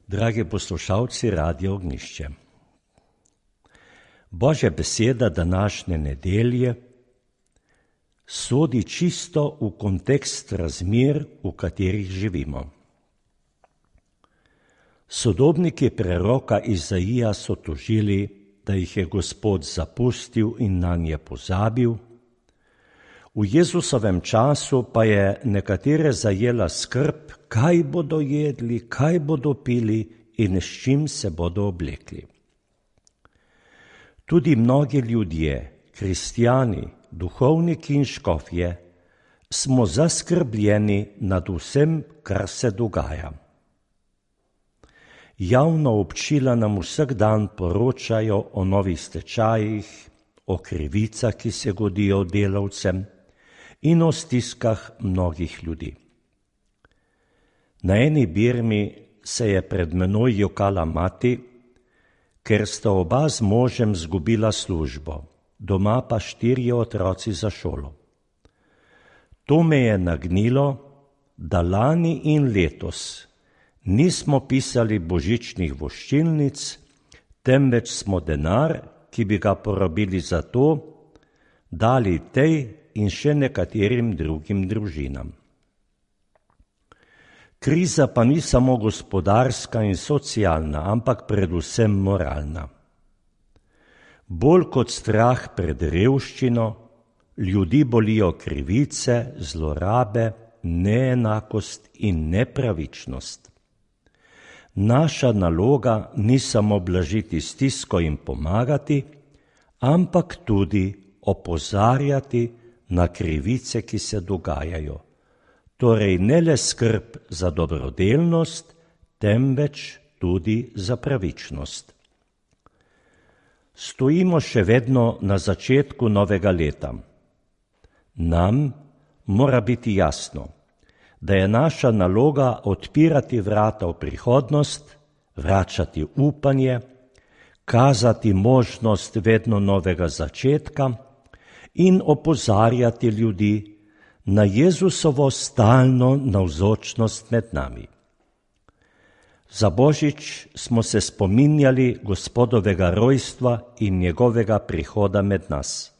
Dragi poslušalci Radia Ognjišče, Božja beseda današnje nedelje sodi čisto v kontekst razmer, v katerih živimo. Sodobniki preroka Izaija so tožili, da jih je Gospod zapustil in nanje pozabil. V Jezusovem času pa je nekatere zajela skrb, kaj bodo jedli, kaj bodo pili in s čim se bodo oblekli. Tudi mnogi ljudje, kristjani, duhovniki in škofje, smo zaskrbljeni nad vsem, kar se dogaja. Javna občila nam vsak dan poročajo o novih stečajih, o krivicah, ki se godijo delavcem, in o stiskah mnogih ljudi. Na eni birmi se je pred menoj jokala mati, ker sta oba z možem zgubila službo, doma pa 4 otroci za šolo. To me je nagnilo, da lani in letos nismo pisali božičnih voščilnic, temveč smo denar, ki bi ga porabili za to, dali tej in še nekaterim drugim družinam. Kriza pa ni samo gospodarska in socialna, ampak predvsem moralna. Bolj kot strah pred revščino, ljudi bolijo krivice, zlorabe, neenakost in nepravičnost. Naša naloga ni samo blažiti stisko in pomagati, ampak tudi opozarjati na krivice, ki se dogajajo. Torej ne le skrb za dobrodelnost, temveč tudi za pravičnost. Stojimo še vedno na začetku novega leta. Nam mora biti jasno, da je naša naloga odpirati vrata v prihodnost, vračati upanje, kazati možnost vedno novega začetka in opozarjati ljudi na Jezusovo stalno navzočnost med nami. Za Božič smo se spominjali Gospodovega rojstva in njegovega prihoda med nas.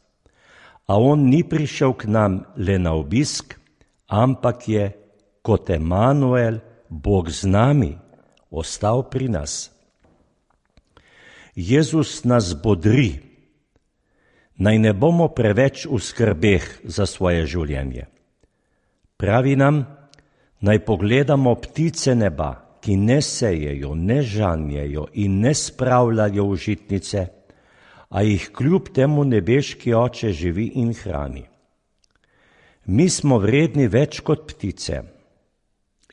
A on ni prišel k nam le na obisk, ampak je kot Emanuel, Bog z nami, ostal pri nas. Jezus nas bodri, naj ne bomo preveč v skrbeh za svoje življenje. Pravi nam, naj pogledamo ptice neba, ki ne sejejo, ne žanjejo in ne spravljajo v žitnice, a jih kljub temu nebeški Oče živi in hrani. Mi smo vredni več kot ptice.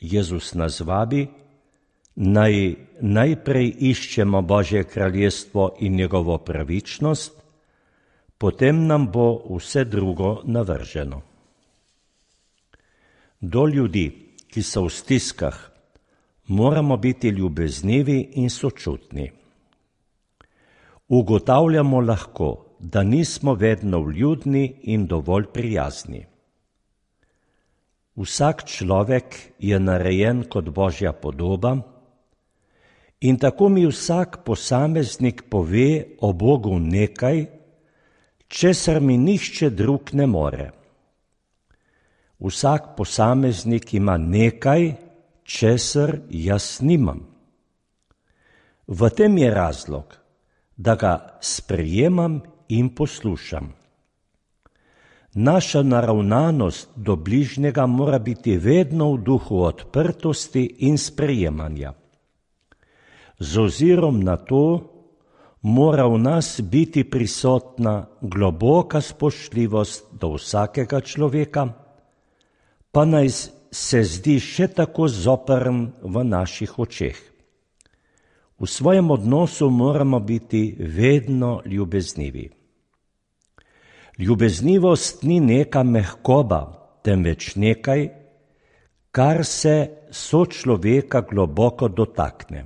Jezus nas vabi, naj najprej iščemo Božje kraljestvo in njegovo pravičnost, potem nam bo vse drugo navrženo. Do ljudi, ki so v stiskah, moramo biti ljubeznivi in sočutni. Ugotavljamo lahko, da nismo vedno vljudni in dovolj prijazni. Vsak človek je narejen kot Božja podoba in tako mi vsak posameznik pove o Bogu nekaj, česar mi nihče drug ne more. Vsak posameznik ima nekaj, česar jaz nimam. V tem je razlog, da ga sprejemam in poslušam. Naša naravnanost do bližnjega mora biti vedno v duhu odprtosti in sprejemanja. Z ozirom na to mora v nas biti prisotna globoka spoštljivost do vsakega človeka, pa naj se zdi še tako zoprn v naših očeh. V svojem odnosu moramo biti vedno ljubeznivi. Ljubeznivost ni neka mehkoba, temveč nekaj, kar se sočloveka globoko dotakne.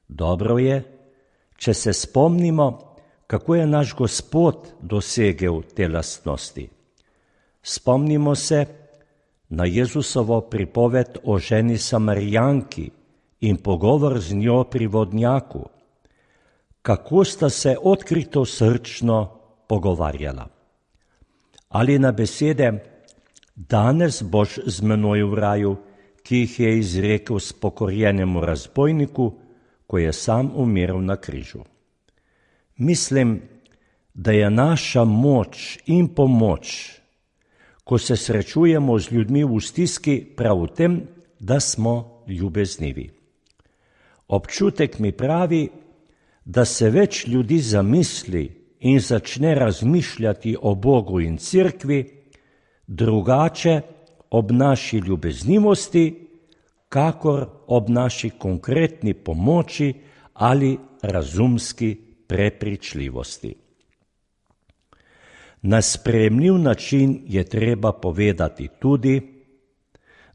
Dobro je, če se spomnimo, kako je naš Gospod dosegel te lastnosti. Spomnimo se na Jezusovo pripoved o ženi Samarijanki in pogovor z njo pri vodnjaku, kako sta se odkrito srčno pogovarjala. Ali na besede, danes boš z menoj v raju, ki jih je izrekel spokorjenemu razbojniku, ko je sam umiral na križu. Mislim, da je naša moč in pomoč, ko se srečujemo z ljudmi v stiski, prav v tem, da smo ljubeznivi. Občutek mi pravi, da se več ljudi zamisli in začne razmišljati o Bogu in cerkvi drugače ob naši ljubeznivosti, kakor ob naši konkretni pomoči ali razumski prepričljivosti. Na sprejemljiv način je treba povedati tudi,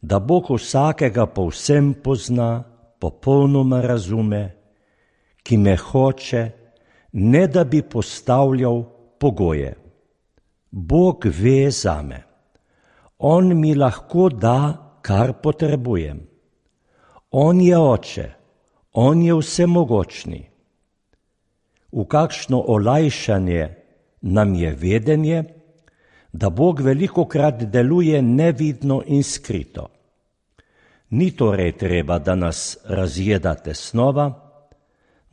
da Bog vsakega povsem pozna, popolnoma razume, ki me hoče, ne da bi postavljal pogoje. Bog ve zame. On mi lahko da, kar potrebujem. On je Oče, on je vsemogočni. V kakšno olajšanje nam je vedenje, da Bog velikokrat deluje nevidno in skrito. Ni torej treba, da nas razjeda tesnova,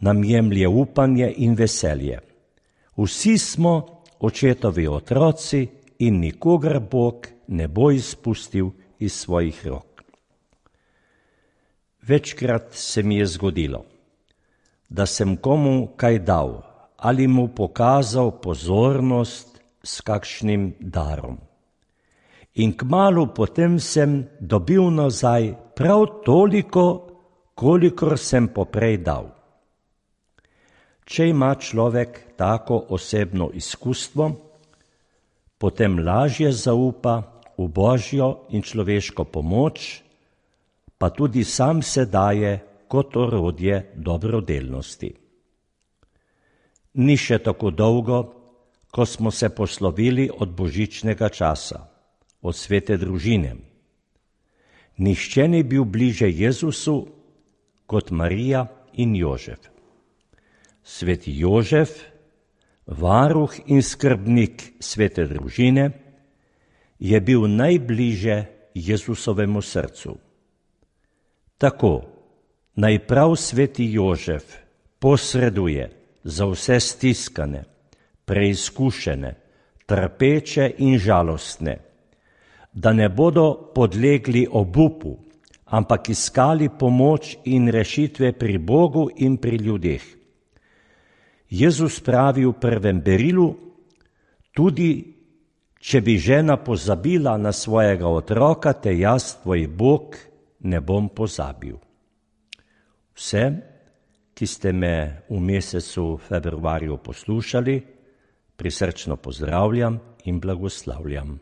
nam jemlje upanje in veselje. Vsi smo očetovi otroci in nikogar Bog ne bo izpustil iz svojih rok. Večkrat se mi je zgodilo, da sem komu kaj dal ali mu pokazal pozornost s kakšnim darom. In kmalu potem sem dobil nazaj prav toliko, kolikor sem poprej dal. Če ima človek tako osebno izkustvo, potem lažje zaupa v Božjo in človeško pomoč, pa tudi sam se daje kot orodje dobrodelnosti. Ni še tako dolgo, ko smo se poslovili od božičnega časa, od svete družine. Nihče ni bil bliže Jezusu kot Marija in Jožef. Sveti Jožef, varuh in skrbnik svete družine, je bil najbliže Jezusovemu srcu. Tako naj prav sveti Jožef posreduje za vse stiskane, preizkušene, trpeče in žalostne, da ne bodo podlegli obupu, ampak iskali pomoč in rešitve pri Bogu in pri ljudeh. Jezus pravi v prvem berilu, tudi če bi žena pozabila na svojega otroka, te jaz, tvoj Bog, ne bom pozabil. Vse, ki ste me v mesecu februarju poslušali, prisrčno pozdravljam in blagoslavljam.